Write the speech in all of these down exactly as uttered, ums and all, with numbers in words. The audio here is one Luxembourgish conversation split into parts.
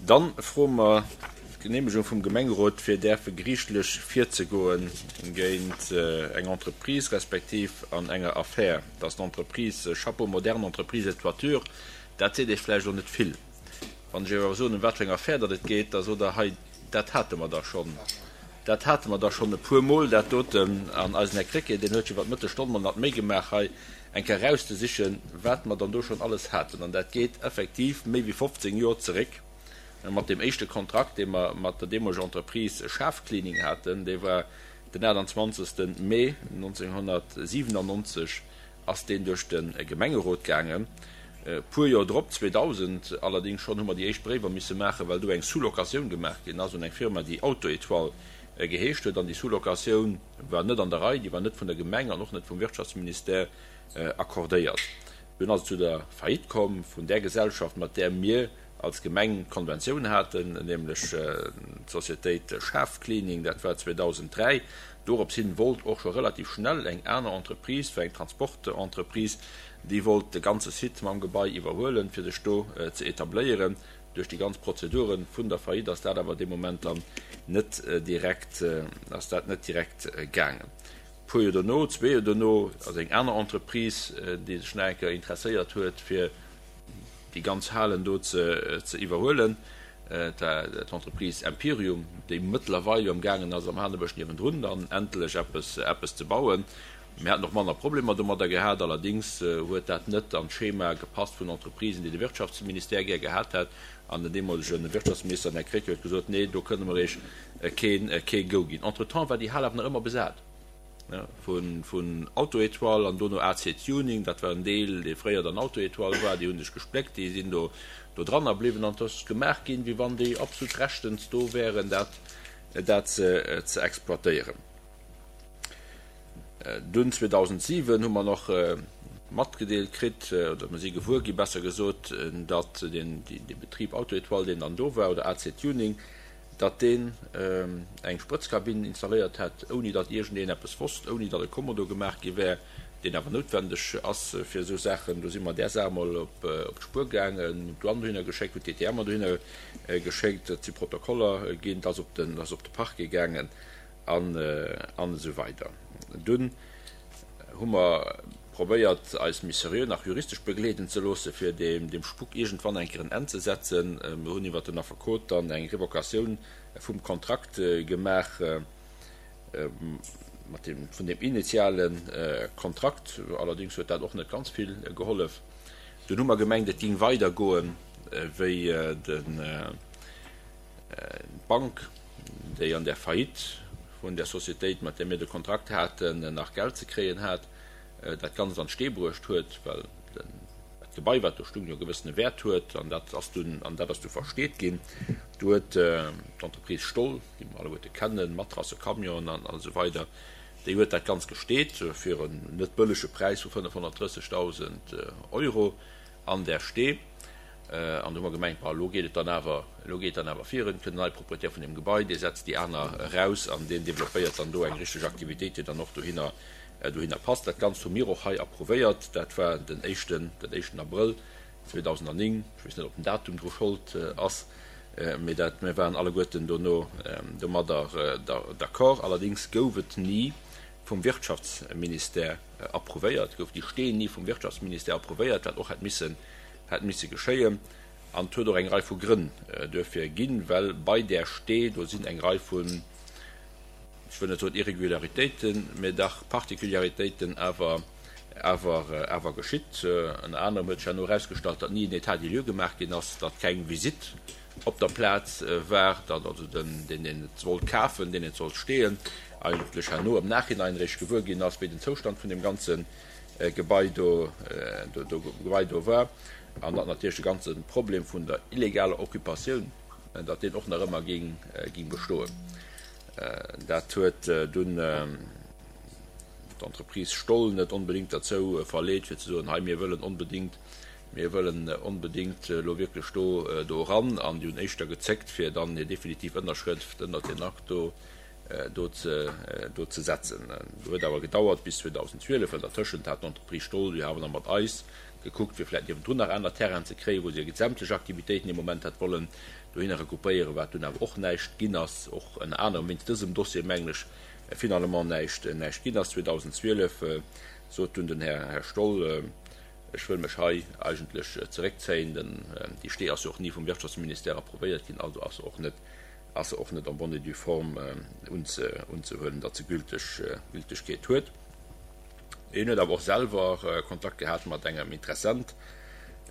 Dann froe mer d'Geneemegung vum Gemengerot, fir däerfe geriichtlech virzegoe géint eng Entreprise respektiv an enger Affär. Dat ass d'Entreprise Chapeau Moderne Entreprise et Toiture. Dat seet Iech vläicht elo net vill. Wann ech Iech awer soen, ëm wat fir eng Affär datt et geet, da sot Der, hei, dat hate mer da schonn. Dat hate mer da schonn e puermol, dat doten. An eisen Här Krecké, deen huet sech iwwer d'Mëttesstonn mol nach d'Méi gemaach, hei eng Kéier erauszesichen, wat mer dann do schonn alles haten. An dat geet effektiv méi wéi fofzéng Joer zeréck mat deem éischte Kontrakt, dee mer mat der deemoleger Entreprise Schaaf Cleaning haten. Dee war den aachtanzwanzegste Mee nonzénghonnertsiwenannonzeg ass deen duerch de Gemengerot gaangen. E puer Joer drop, zweedausend allerdéngs schonn, hu mer déi éischt Bréiwer misse maachen, well do eng Sous-locatioun gemaach ginn ass un eng Firma, déi Auto-Étoile geheescht huet. An déi Sous-locatioun war net an der Rei, déi war net vun der Gemeng an och net vum Wirtschaftsministère accordéiert. Dunn ass et zu der Faillite komm vun där Gesellschaft, mat där mir als Gemeng d'Konventioun haten, nämlech d'Societéit Schaaf Cleaning, dat war zweedausenddräi. Dorops hin wollt och scho relativ schnell eng aner Entreprise, war eng Transportentreprise, déi wollt de ganze Site mam Gebai iwwerhuelen, fir sech do ze etabléieren. Duerch déi ganz Prozedure vun der Faillite ass dat awer dee Moment dann net direkt, ass dat net direkt gaangen. E puer Joer dono, zwee Joer dono, ass eng aner Entreprise, déi sech nach eng Kéier interesséiert huet, fir déi ganz Halen do ze iwwerhuelen, d'Entreprise Empirium, déi mëttlerweil jo am gaangen ass, am Hanebësch niewendrun dann endlech eppes, eppes ze bauen. Mir haten och manner Problemer domadder gehat. Allerdéngs huet dat net an d'Schema gepasst vun Entreprisen, déi de Wirtschaftsministère gär gehat hätt. An den deemolege Wirtschaftsminister, den Här Krecké, huet gesot, Nee, do kënne mer Iech kee, kee Go ginn. Entretemps war déi Hal awer nach ëmmer besat vun Auto-Étoile an dono A C Tuning. Dat war en Deel, dee fréier dann Auto-Étoile war. Déi hu sech gespléckt, déi sinn do do dranner bliwwen an et ass gemaach ginn, wéi wann déi absolut rechtens do wären, dat, dat ze, ze exploitéieren. Dunn zweedausentsiwen hu mer nach matgedeelt kritt, oder mer si gewuer gi besser gesot, datt deen dee Betrib Auto-Étoile, deen dann do war, oder A C Tuning, datt deen eng Sprëtzkabinn installéiert hätt, ouni datt iergendeen eppes wosst, ouni datt e Kommodo gemaach gi wär, deen awer noutwendeg ass fir esou Saachen. Do si mer där Saach emol op d'Spuer gaangen, hunn d'Douane dohinner geschéckt, hunn d'T T M'er dohinner geschéckt, et si Protokoller ginn, et ass op den, ass op de Parquet gaangen an, an esou weider. Dunn hu mer probéiert, eis méi seriö nach juristesch begleeden ze loosse fir deem, deem Spuk iergendwann eng Kéier en Enn ze setzen. Mir hunn iwwert den Affekot dann eng Revocatioun vum Kontrakt gemaach, mat deem, vun deem initiale Kontrakt. Allerdéngs huet dat och net ganz vill gehollef. Dunn hu mer gemengt, et géing weidergoen, wéi den, d'Bank, déi an der Faillite vun der Societéit, mat där mir de Kontrakt haten, nach Geld ze kréien hat, dat Ganzt an d'Stee bruecht huet, well dat Gebai, wat do stung, jo e gewëssene Wäert huet, an dat ass dunn, an dat ass du versteet ginn. Du huet d'Entreprise Stoll, déi mer alleguerte kennen, Matrasse, Camionen an esou weider, déi huet dat Ganzt gesteet fir en net bëllege Präis vu fënnefhonnertdrëssegdausend Euro an där Stee. An du hu mer gemengt, bon, elo geet et dann awer, elo geet et dann awer virun, et kënnt en neie Proprietär vun deem Gebai, dee setzt déi aner eraus an deen développéiert dann do eng richteg Aktivitéit, déi dann och dohinner, dohinner passt. Dat Ganzt hu mir och hei approuvéiert. Dat war den éischten, den éischten Abrëll zweedausendnéng. Ech weess net, ob den Datum dru Schold ass, mee dat, mir waren alleguerten dono domadder d'accord. Allerdéngs gouf et ni vum Wirtschaftsministère approuvéiert, gouf déi Stee ni vum Wirtschaftsministère approuvéiert, wat och hätt missen, hätt misse geschéien. An et huet och eng Rei vu Grënn duerfir ginn, well bei där Stee do sinn eng Rei vun, ech wëll net soen Irregularitéiten, mä dach Particularitéiten awer, awer, awer geschitt. Ënner anerem huet sech herno erausgestallt, datt ni en État des lieux gemaach ginn ass, datt keng Visitt op der Plaz war, datt also den, deen, deen et wollt kafen, deen et sollt steeën, eigentlech herno am Nachhinein eréischt gewuer ginn ass, wéi den Zoustand vun deem ganze Gebai do, do, Gebai do war, an datt natierlech de ganze Problem vun der illegaler Occupatioun, datt deen och nach ëmmer géing, géing bestoen. Dat huet dunn d'Entreprise Stoll net onbedéngt derzou verleet, fir ze soen, hei mir wëllen onbedéngt, mir wëllen onbedéngt elo wierklech do, do eran, an déi hunn éischter gezéckt, fir dann hir definitiv Ënnerschrëft ënnert deen Akt do, do ze, do ze setzen. Do huet awer gedauert bis zweedausendzwielef, well dertëschent hat d'Entreprise Stoll jo awer nach mat eis gekuckt, fir vläicht niewendrun nach aner Terrainen ze kréien, wou se sämtlech Aktivitéiten ee Moment hätt wollen dohinner regroupéieren, wat dunn awer och näischt ginn ass, och ënner anerem wéinst dësem Dossier, mengen ech, finalement näischt, näischt ginn ass. zweedausendzwielef sot dunn den Här, Här Stoll, Ech wëll mech hei eigentlech zeréckzéien. Den, déi Stee ass jo och ni vum Wirtschaftsministère approvéiert ginn, also ass se och net, ass se och net en bonne et due forme unze, unzehuelen, datt se Gülteg, Gültegkeet huet. Hien huet awer och selwer Kontakt gehat mat engem Interessent,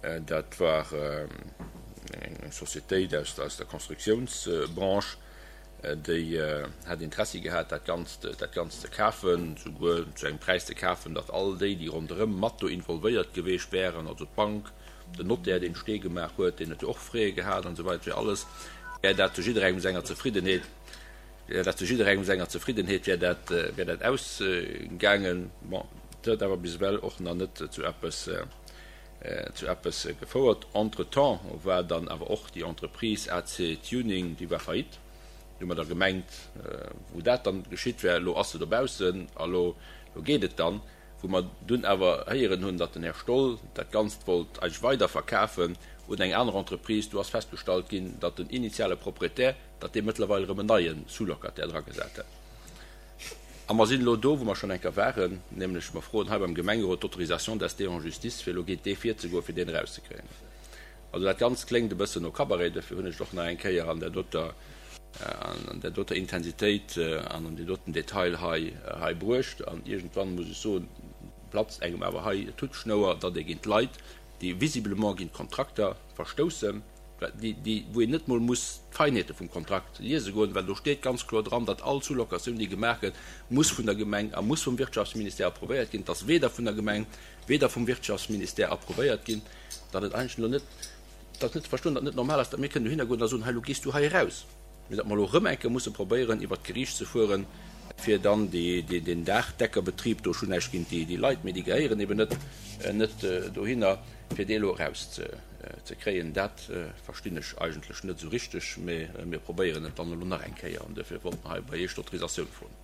dat war eng Societéit aus der Constructiounsbranche, déi hätt Interessi gehat, dat Ganzt, dat Ganzt ze kafen, souguer zu engem Präis ze kafen, datt all déi, déi ronderëm mat do involvéiert geweecht wären, also d'Bank, den Notaire, deen d'Stee gemaach huet, deen huet jo och Frais gehat an esou weider, fir alles wär dat zu jidderengem senger Zefriddenheet. Wär dat zu jidderengem senger Zefriddenheet, wär dat, wär dat ausgaangen. Bon, et huet awer bis ewell och nach net zu eppes, zu eppes gefouert. Entretemps war dann awer och déi Entreprise A C Tuning, déi war faillite. Du hu mer da gemengt, wou dat dann geschitt wär, elo ass se dobaussen a lo, lo geet et dann. Wou mer dunn awer héieren hunn, datt den Här Stoll dat Ganzt wollt eigentlech weiderverkafen un eng aner Entreprise, do ass festgestallt ginn, datt den initiale Proprietär, datt dee mëttlerweil erëm en neie Sous-locataire dragesat hätt. A mer sinn elo do, wou mer schonn eng Kéier waren, nämlech mer froen hei beim Gemengerot d'Autorisation d'ester en justice, fir elo géint dee virzegoen, fir deen erauszekréien. Also dat Ganzt kléngt e bëssen no Cabaret, dofir hunn ech et och nach eng Kéier an där doter, an där doter Intensitéit an an deem doten Detail hei, hei bruecht. An iergendwann, muss ech soen, platzt engem awer hei d'Huttschnouer, datt ee géint Leit, déi visiblement géint Kontrakter verstoussen, déi, wou een net mol muss d'Feinheete vum Kontrakt liese goen, well do steet ganz kloer dran, datt all Sous-locatioun, déi gemaach gëtt, muss vun der Gemeng a muss vum Wirtschaftsministère approvéiert ginn. Et ass weder vun der Gemeng, weder vum Wirtschaftsministère approvéiert ginn, datt et eigentlech elo net, datt net ze verstoen, datt net normal ass, datt mir kënnen dohinner goen a soen, hei, elo gees du hei eraus, mee datt mer elo erëm eng Kéier musse probéieren, iwwert d'Geriicht ze fueren, fir dann deen Daachdeckerbetrib do, ech hunn näischt géint déi Leit, mee déi gehéieren eben net, net dohinner, fir dee elo erauszekréien. Dat verstinn ech eigentlech net esou richteg, mee mir probéieren et dann elo nach eng Kéier an duerfir wollt mer hei bei Iech d'Autorisatioun froen.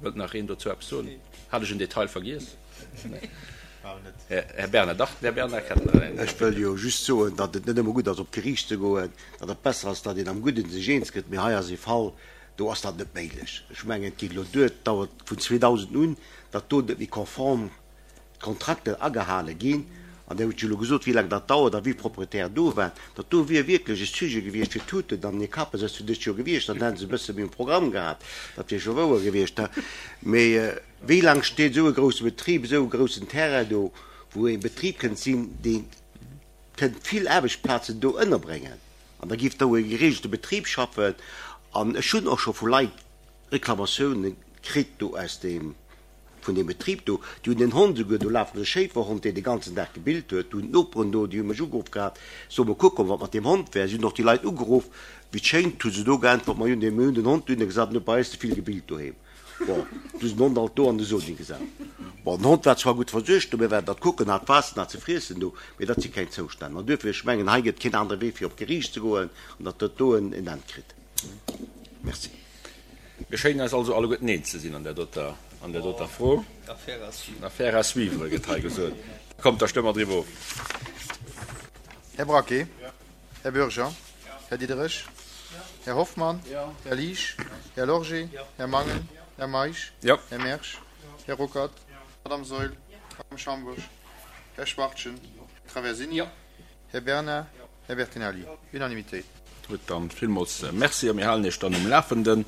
Wëllt nach een dozou eppes soen? Hat ech en Detail vergiess? Här Bernard, dach, den Här Bernard kennt nach een. Ech wëll jo just soen, datt et net ëmmer gutt ass, op d'Geriicht ze goen, datt et besser ass, datt een am Gudden sech eens gëtt. Mee hei ass ee Fall, do ass dat net méiglech. Ech mengen, et geet elo duer, et dauert vun zweedausend un, datt do net méi konform d'Kontrakter agehale ginn. An Dir hutt jo elo gesot, wéi laang dat dauert a wie Propriétaire do war. Dat do wier wierklech e Sujet gewiescht fir d'Tuten an hir Kappen. Dat ass fir dëst Joer gewiescht, dann hätte se e bësse méi um Programm gehat. Dat wier scho wouer gewiescht. Mee wéi laang steet esou e grousse Betrib, esou e groussen Terrain do, wou e Betrib kënnt sinn, dee kënnt vill Aarbechtsplazen do ënnerbréngen an da géif do e geregelte Betrib schaffen. An ech hunn och scho vu Leit Reklamatiounen kritt do aus deem. Vun deem Betrib do, déi hunn en Hond esouguer, do lafen e Schéiferhond, deen de ganzen Dag gebillt huet, do hunn d'Noperen do, déi hu mech ugeruff gehat, ech soll mol kucken, wat mat deem Hond wär. Si hunn och déi Leit ugeruff, wéi et schéngt hu se do geäntwert, ma jo, mir hunn den Hond dunne gesat, en huet bei eis ze vill gebillt doheem. Bon, du hu se den Hond alt do an de Soni gesat. Bon, den Hond war zwar gutt versuergt do, mir waren dat kucken, hat Waasser, hat ze friessen do, mee dat si keng Zoustänn. An duerfir, ech mengen, hei gëtt keen anere Wee fir op d'Geriicht ze goen an datt dat do en Enn kritt. Merci. Mir schéinen eis also alleguerten eens ze sinn an där doter, an där doter Fro. Affaire à suivre, gëtt hei gesot. Kommt, da stëmme mer driwwer of. Här Braquet? Här Bürger? Här Diderich? Här Hoffmann? Här Liesch? Här Lorgé? Här Mangen? Här Meisch? Här Mersch? Här Ruckert? Madame Saeul? Madame Schambourg? Här Schwachtgen? Här Traversini? Här Bernard? Här Bertinelli? Unanimitéit. Gutt, dann villmools Merci a mir halen Iech dann um Lafenden.